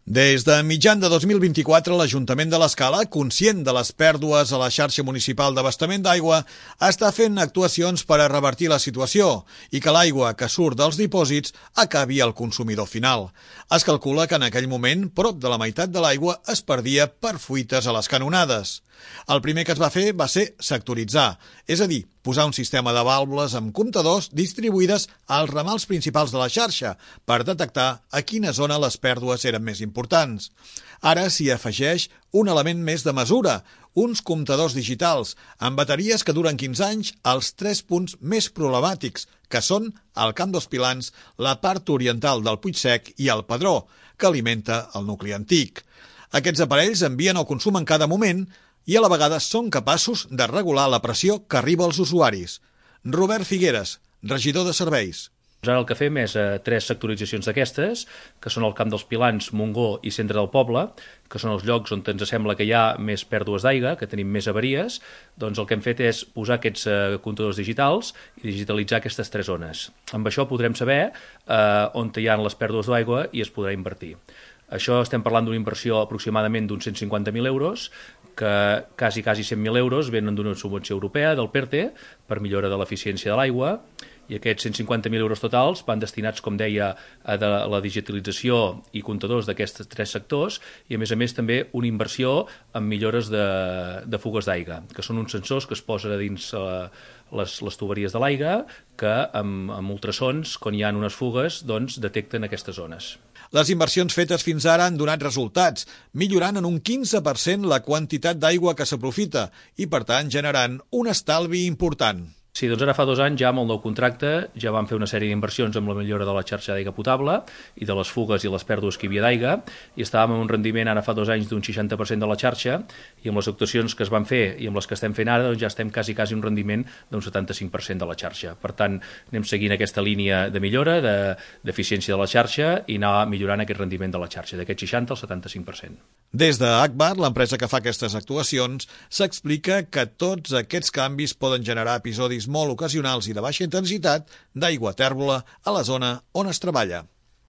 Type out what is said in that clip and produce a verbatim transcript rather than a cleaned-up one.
Des de mitjan de dos mil vint-i-quatre, l'Ajuntament de l'Escala, conscient de les pèrdues a la xarxa municipal d'abastament d'aigua, està fent actuacions per a revertir la situació i que l'aigua que surt dels dipòsits acabi al consumidor final. Es calcula que en aquell moment prop de la meitat de l'aigua es perdia per fuites a les canonades. El primer que es va fer va ser sectoritzar, és a dir, posar un sistema de vàlvules amb comptadors distribuïdes als ramals principals de la xarxa per detectar a quina zona les pèrdues eren més importants. Ara s'hi afegeix un element més de mesura, uns comptadors digitals amb bateries que duren quinze anys als tres punts més problemàtics, que són el Camp dels Pilans, la part oriental del Puigsec i el Pedró, que alimenta el nucli antic. Aquests aparells envien el consum en cada moment i a la vegada són capaços de regular la pressió que arriba als usuaris. Robert Figueres, regidor de serveis. Ara el que fem és eh, tres sectoritzacions d'aquestes, que són el Camp dels Pilans, Montgó i Centre del Poble, que són els llocs on ens sembla que hi ha més pèrdues d'aigua, que tenim més avaries. Doncs el que hem fet és posar aquests eh, comptadors digitals i digitalitzar aquestes tres zones. Amb això podrem saber eh, on hi ha les pèrdues d'aigua i es podrà invertir. Això estem parlant d'una inversió aproximadament d'uns cent cinquanta mil euros, que quasi, quasi cent mil euros venen d'una subvenció europea, del PERTE, per millora de l'eficiència de l'aigua, i aquests cent cinquanta mil euros totals van destinats, com deia, a de la digitalització i comptadors d'aquests tres sectors, i a més a més també una inversió en millores de, de fugues d'aigua, que són uns sensors que es posen a dins eh, les, les tuberies de l'aigua, que amb, amb ultrasons, quan hi ha unes fugues, doncs detecten aquestes zones. Les inversions fetes fins ara han donat resultats, millorant en un quinze per cent la quantitat d'aigua que s'aprofita i, per tant, generant un estalvi important. Sí, doncs ara fa dos anys ja amb el nou contracte ja vam fer una sèrie d'inversions amb la millora de la xarxa d'aigua potable i de les fugues i les pèrdues que hi havia d'aigua, i estàvem en un rendiment ara fa dos anys d'un seixanta per cent de la xarxa, i amb les actuacions que es van fer i amb les que estem fent ara doncs ja estem quasi, quasi un rendiment d'un setanta-cinc per cent de la xarxa. Per tant, anem seguint aquesta línia de millora, d'eficiència de, de la xarxa, i anar millorant aquest rendiment de la xarxa, d'aquest seixanta al setanta-cinc per cent. Des d'Agbar, l'empresa que fa aquestes actuacions, s'explica que tots aquests canvis poden generar episodis molt ocasionals i de baixa intensitat d'aigua tèrbola a la zona on es treballa.